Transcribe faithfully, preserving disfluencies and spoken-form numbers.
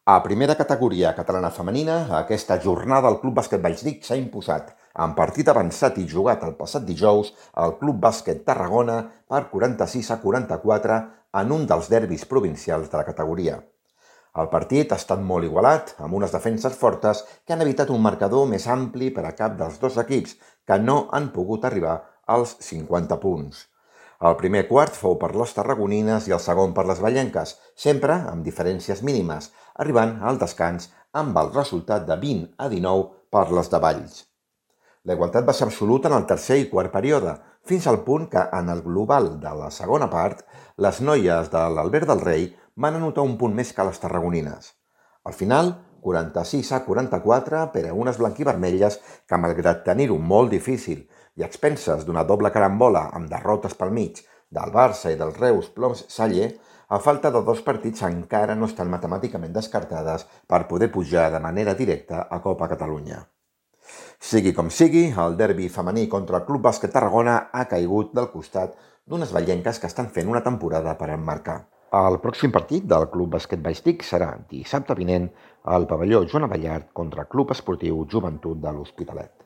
A primera categoria catalana femenina, aquesta jornada el Club Bàsquet Vallsbric s'ha imposat en partit avançat i jugat el passat dijous al Club Bàsquet Tarragona per quaranta-sis a quaranta-quatre en un dels derbis provincials de la categoria. El partit ha estat molt igualat, amb unes defenses fortes que han evitat un marcador més ampli per a cap dels dos equips, que no han pogut arribar als cinquanta punts. El primer quart fou per les tarragonines i el segon per les vallenques, sempre amb diferències mínimes, arribant al descans amb el resultat de vint a dinou per les de Valls. La igualtat va ser absoluta en el tercer i quart període, fins al punt que, en el global de la segona part, les noies de l'Albert del Rei van anotar un punt més que les tarragonines. Al final, quaranta-sis a quaranta-quatre per a unes blanquivermelles que, malgrat tenir-ho molt difícil i a expenses d'una doble carambola amb derrotes pel mig del Barça i del Reus Ploms Saller, a falta de dos partits encara no estan matemàticament descartades per poder pujar de manera directa a Copa Catalunya. Sigui com sigui, el derbi femení contra el Club Bàsquet Tarragona ha caigut del costat d'unes vallenques que estan fent una temporada per emmarcar. El pròxim partit del Club Bàsquet Vallsbric serà dissabte vinent al pavelló Joan Abellart contra el Club Esportiu Joventut de l'Hospitalet.